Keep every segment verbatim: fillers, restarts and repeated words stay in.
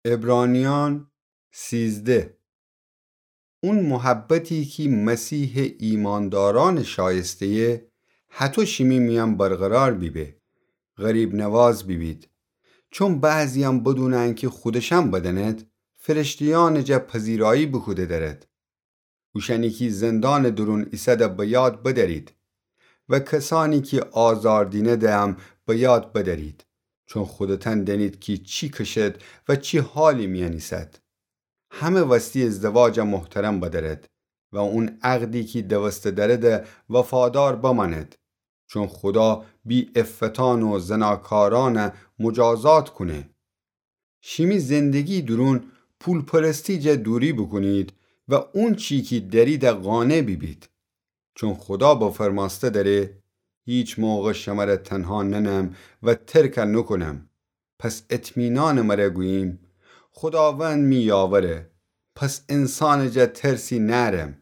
عبرانیأن سیزده. اون محبتی کی مسیحٚ ایماندارأنٚ شایسته‌یه، هطو شیمی میأن برقرار بیبه. غریب‌نواز بیبید. چون بعضی‌یأن بدون انکی خودشأن بدأند، فرشته‌یأنٚ جا پذیرایی بوکوده دأرد. اوشأنی کی زندانٚ دورون ایسده به یاد بدأرید و کسأنی کی آزار دینده هم به یاد بدأرید، چون خودتأن دأنید کی چی کشد و چی حالی میأن ایسد. همه وستی ازدواج محترم بدأرد و اون عقدی کی دوسته دأرده وفادار بمأند، چون خودا بی‌عفتأن و زناکارأن مجازات کونه. شیمی زندگی دورون پولپرستی جا دوری بوکونید و اونچی کی دأریده قانع بیبید. چون خودا بفرمأسته دأره: هیچ موقع شمره تنها ننم و ترک نوکونم. پس اطمینانٚ مره گوییم: خوداوند می یاوره، پس انسانٚ جا ترسی نأرم.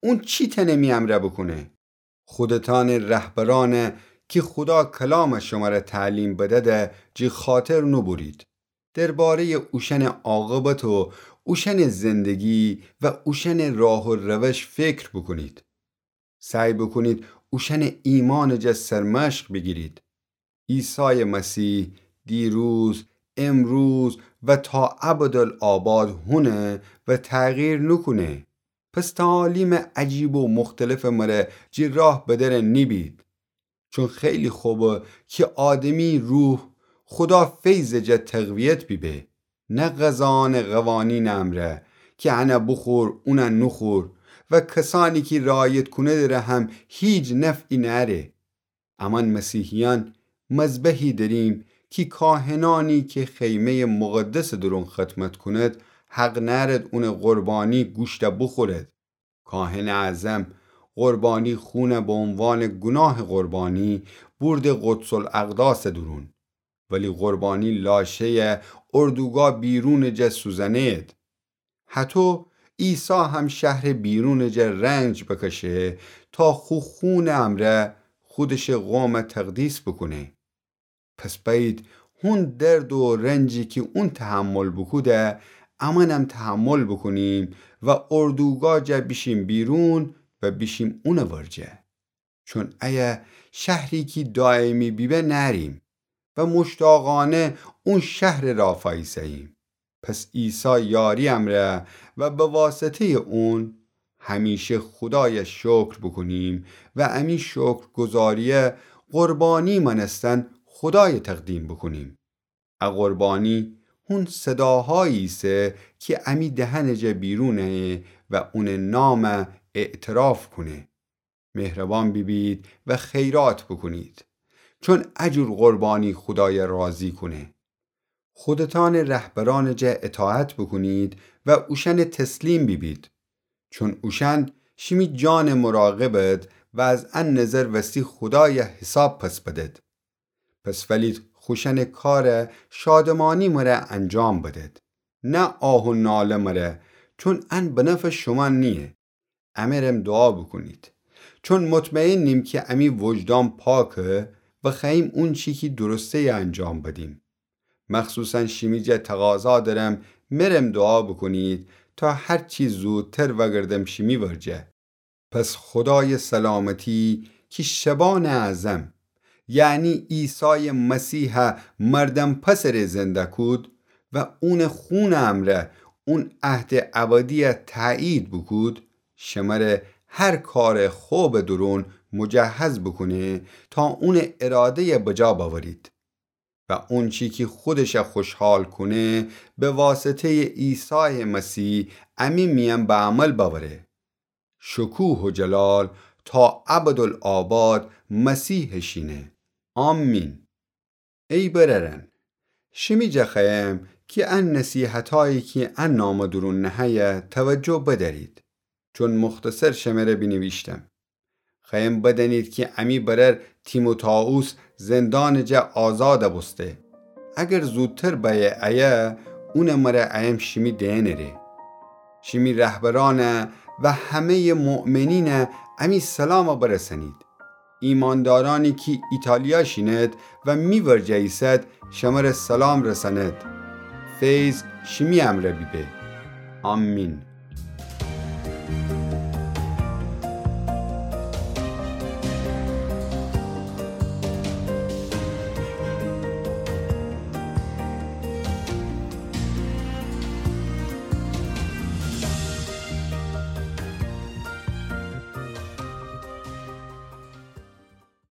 اون چی تأنه می امرأ بوکونه؟ خودتأنٚ رهبرأنه کی خودا کلام شمره تعلیم بدده جی خاطر نوبورید. درباره‌یٚ اوشأنٚ عاقبت و اوشأنٚ زندگی و اوشأنٚ راه و روش فکر بوکونید. سعی بوکونید اوشأنٚ ایمانٚ جا سرمشق بیگیرید. عیسایٚ مسیح دیروز، امروز و تا ابدالآباد هونه و تغییر نوکونه. پس تعالیم عجیب و مختلفٚ مره جی راه بدر نیبید. چون خیلی خوبه کی آدمی روح خودا فیضٚ جا تقویت بیبه، نه غذاأنٚ قوانینٚ امرأ کی انه بوخور، اونه نوخور، و کسأنی کی رعایت کونده دره هم هیچ نفعی نأره. امأن مسیحیأن مذبحی دأریم کی کاهنأنی کی خیمه‌یٚ مقدسٚ دورون خدمت کونید، حق نأرید اونٚ قربانی گوشته بوخورید. کاهنٚ اعظم قربانی خونه به عنوانٚ گوناهٚ قربانی بورده قدس‌الاقداسٚ دورون، ولی قربانی لاشه‌یه اردوگاه بیرونٚ جا سوزنه‌یید. هطو عیسی هم شهرٚ بیرونٚ جا رنج بکشه تا خو خونٚ امرأ خودشٚ قوم تقدیس بوکونه. پس بأیید هون درد و رنجی کی اون تحمل بوکوده، امأنم تحمل بوکونیم و اردوگاه جا بیشیم بیرون و بیشیم اونٚ ورجه. چون ایه شهری کی دایمی بیبه نأریم و مشتاقأنه اون شهرٚ راه فأییسه‌ییم. پس عیسی یاری امرأ و به واسطه‌یٚ اون همیشه خودای شکر بوکونیم و امی شکرگزاریه قربانی مأنستن خودای تقدیم بوکونیم. ا قربانی هون صداهایی ایسه کی امی دهنٚ جا بیرون ایه و اونٚ نام اعتراف کونه. مهربان بیبید و خیرات بوکونید، چون ا جور قربانی خودای راضی کونه. خودتأنٚ رهبرأنٚ جا اطاعت بوکونید و اوشأنٚ تسلیم بیبید، چون اوشأن شیمی جانٚ مراقبد و از ا نظر وستی خودای حساب پس بدد. پس ولید خوشأنٚ کار شادمانی مره انجام بدد، نه آه و ناله مره، چون ان به نفعٚ شومأن نییه. امرم دوعا بوکونید، چون مطمئنیم کی امی وجدان پاکه و خوأییم اونچی کی درسته‌یه انجام بدیم. مخصوصاً شیمی جا تقاضا درم مرم دوعا بوکونید تا هرچی زودتر وأگردم شیمی ورجه. پس خودایٚ سلامتی کی شبانٚ اعظم، یعنی عیسایٚ مسیحه مردم پسٚ ره زنده کود و اونٚ خونٚ امرأ اون عهدٚ ابدیه تأیید بوکود، شمره هر کارٚ خوبٚ دورون مجهز بوکونه تا اونٚ اراده‌یه بجا بأورید و اونچی کی خودشه خوشحال کونه به واسطه‌یٚ عیسایٚ مسیح امی میأن به عمل بأوره. شکوه و جلال تا ابدالآباد مسیحٚ شینه. آمین. ای برأرأن، شیمی جا خوأیم کی ا نصیحتایی کی ا نامه دورون نهه‌یه توجه بدأرید، چون مختصر شمره بینیویشتم. خوأیم بدأنید کی امی برأر تیموتائوس زندانٚ جا آزاد بوسته. اگر زودتر بأیه ایه، اونٚ مره ایم شیمی دئنٚ ره. شیمی رهبرأنه و همه‌یٚ مؤمنینه امی سلام برسأنید. ایماندارأنی کی ایتالیا شینید و می ورجه ایسد، شمره سلام رسأنید. فیض شیمی امرأ بیبه. آمین.